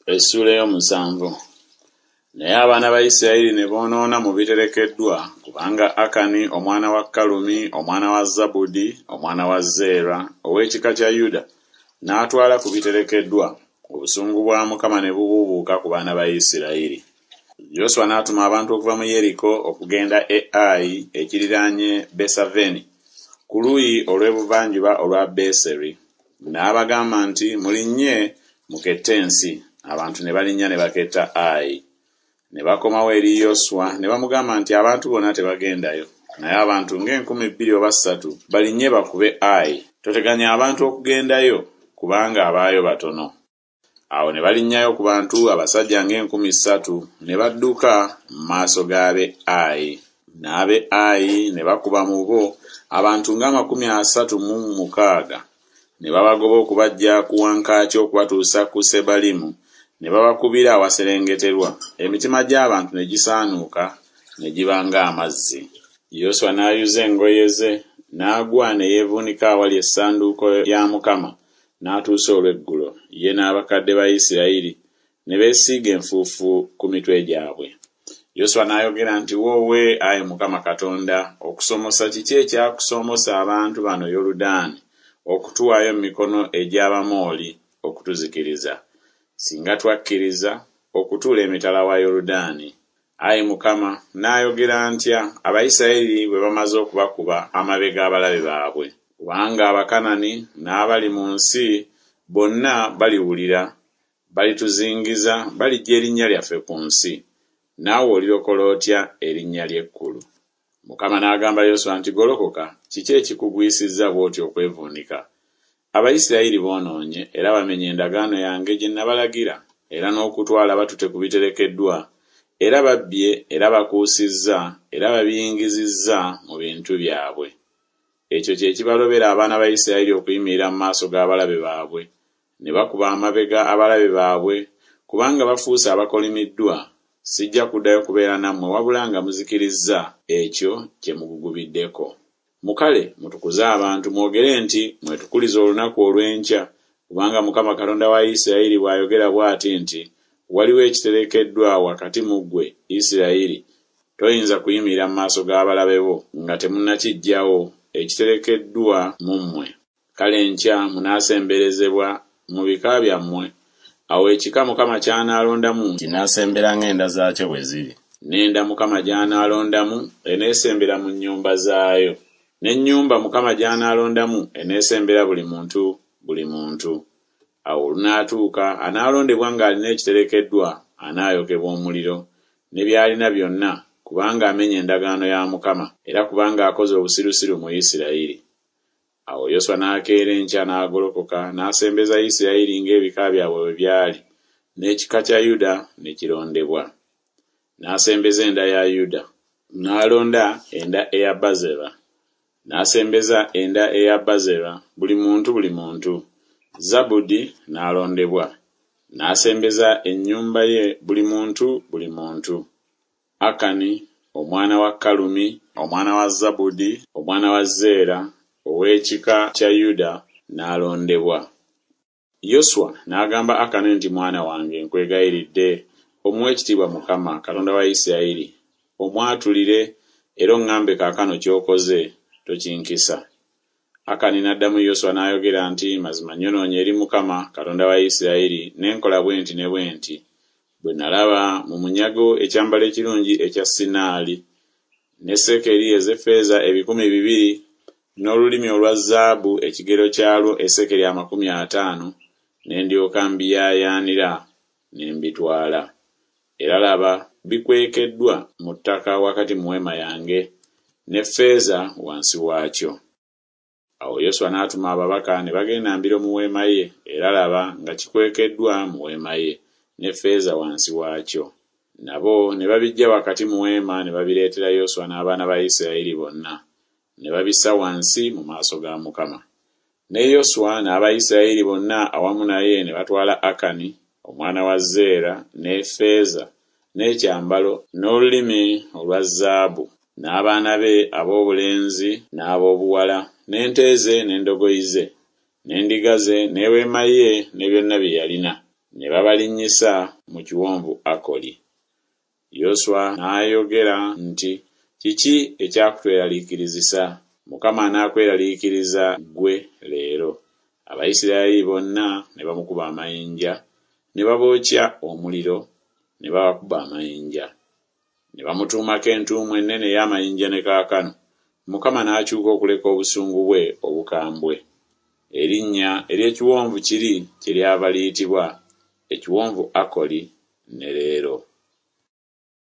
Essuula ey'omusanvu. Naye abaana ba Isirayiri ne boonoona mu biterekeddwa, kubanga Akani omwana wa Kalumi omwana wa Zabudi omwana wa Zeera ow'ekika kya Yuda n'atwala ku biterekeddwa, obusungu bwa Mukama ne bubuubuuka ku baana ba Isirayiri. Yoswa n'atuma abantu okuva mu Yeriko okugenda e Ayi ekiriraanye Besaveni ku luuyi olw'ebuvanjuba olwa Beseri, n'abagamba nti Mulinnye mukette ensi. Abantu ne balinnya ne baketta Ayi. Ne bakomawo eri Yoswa ne bamugamba nti Abantu bonna tebagendayo, naye abantu ng'enkumi bbiri oba ssatu balinnye bakube Ayi. Toteganya abantu okugendayo, kubanga abaayo batono. Awo ne balinnyayo ku bantu abasajja ng'enkumi 3, ne badduka mu maaso g'ab'e Ayi. N'ab'e Ayi ne bakuba mu bo abantu ng'amakumi asatu mu mukaaga, ne babagoba okubaggya ku wankaaki okubatuusa ku Sebalimu, ne babakubira awaserengeterwa, emitima gy'abantu ne gisaanuuka ne giba ng'amazzi. Yoswa n'ayuza engoye ze, n'agwa ne yeevuunika awali essanduuko ya Mukama n'atuusa olweggulo, ye n'abakadde ba Isirayiri, ne beesiiga enfuufu ku mitwe gyabwe. Yoswa n'ayogera nti Woowe, ayi Mukama Katonda, okusomosa kiki ekyakusomosa abantu bano Yoludaani okutuwaayo mu mikono egy'Abamoli okutuzikiriza? Singa twakkiriza okutuula emitala wa Yoludaani! Ayi Mukama, nnaayogera ntya, Abayisirayiri bwe bamaze okubakuba amabega abalabe baabwe? Kubanga Abakanani n'abali mu nsi bonna baliwulira, balituzingiza, baliggya erinnya lyaffe ku nsi; naawe olirokola otya erinnya lyo ekkulu? Mukama n'agamba Yoswa nti Golokoka, kiki ekikugwisizza bw'otyo okwevuunika? Abayisirayiri boonoonye era bamenye endagaano yange gye nabalagira, era n'okutwala batutte ku biterekeddwa, era babbye era bakuusizza era babiyingizizza mu bintu byabwe. Ekyo kye kibalobera abaana ba Isirayiri okuyimirira mu maaso g'abalabe baabwe, ne bakuba amabega abalabe baabwe, kubanga bafuuse abakolimiddwa, sijja kuddayo kubeera nammwe wabula nga muzikirizza ekyo kye mugugubiddeko. Mukale mutukuze abantu, mwogere nti Mwetukulize olunaku olw'enkya, kubanga Mukama Katonda wa Isirayiri bw'ayogera bw'ati nti Waliwo ekiterekeddwa wakati mu ggwe, Isirayiri, toyinza kuyimirira mu maaso g'abalabe bo nga temunnakiggyawo ekiterekeddwa mu mmwe. Kale enkya munaasemberezebwa mu bika byammwe, awo ekika Mukama ky'anaalondamu kinaasembera ng'enda zaakyo bwe ziri, n'enda Mukama gy'anaalondamu eneesembera mu nnyumba zaayo, n'ennyumba Mukama gy'anaalondamu eneesembera buli muntu buli muntu. Awo olunaatuuka anaalondebwa ng'alina ekiterekeddwa anaayokebwa omuliro, ne by'alina byonna, kubanga amenye endagaano ya Mukama, era kubanga akoze obusirusiru mu Isirayiri. Awo Yoswa n'akeera enkya n'agolokoka n'asembeza Isirayiri ng'ebika byabwe bwe byali, n'ekika kya Yuda ne kirondebwa. N'asembeza enda ya Yuda. N'alonda enda eya Bazera. N'asembeza enda eya Bazera, buli muntu buli muntu. Zabudi n'alondebwa. N'asembeza ennyumba ye buli muntu buli muntu. Akani omwana wa Kalumi omwana wa Zabudi omwana wa Zeera ow'ekika kya Yuda n'alondebwa. Yoswa n'agamba Akani nti Mwana wange, nkwegayiridde, omuwe ekitiibwa Mukama, Katonda wa Isirayiri, omwatulire era oŋŋambe kaakano ky'okoze, tokinkisa. Akani n'addamu Yoswa n'ayogera nti Mazima nnyonoonye eri Mukama, Katonda wa Isirayiri, ne nkola bwe nti ne bwe nti, bwe nalaba mu munyago ekyambalo ekirungi ekya Sinaali, ne sekeri ez'effeeza 200, n'olulimi olwa zaabu ekigero kyalwo esekeri 50, ne ndyoka mbiyaayaanira ne mbitwala. Era laba, bikwekeddwa mu ttaka wakati mu weema yange, n'effeeza wansi waakyo. Awo Yoswa n'atuma ababaka ne bagenda mbiro mu weema ye, era laba, nga kikwekeddwa mu weema ye, n'effeeza wansi waakyo. Nabo ne babiggya wakati mu weema ne babireetera Yoswa n'abaana ba Isirayiri bonna, ne babissa wansi mu maaso ga Mukama. Ne Yoswa n'Abayisirayiri bonna awamu naye ne batwala Akani omwana wa Zeera n'effeeza n'ekyambalo n'olulimi olwa zaabu, n'abaana be ab'obulenzi n'ab'obuwala, n'ente ze n'endogoyi ze, n'endiga ze n'eweema ye ne byonna bye yalina, Ne babalinnyisa mu kiwonvu Akoli. Yoswa n'ayogera nti Kiki ekyakutweraliikirizisa? Mukama anaakweraliikiriza ggwe leero. Abayisirayiri bonna ne bamukuba amayinja, ne babookya omuliro, ne babakuba amayinja. Ne bamutuumako entuumu ennene ey'amayinja ne kaakano. Mukama n'akyuka okuleka obusungu bwe obukambwe. Erinnya ery'ekiwonvu kiri kyeryava liyitibwa Ekiwonvu Akoli ne leero.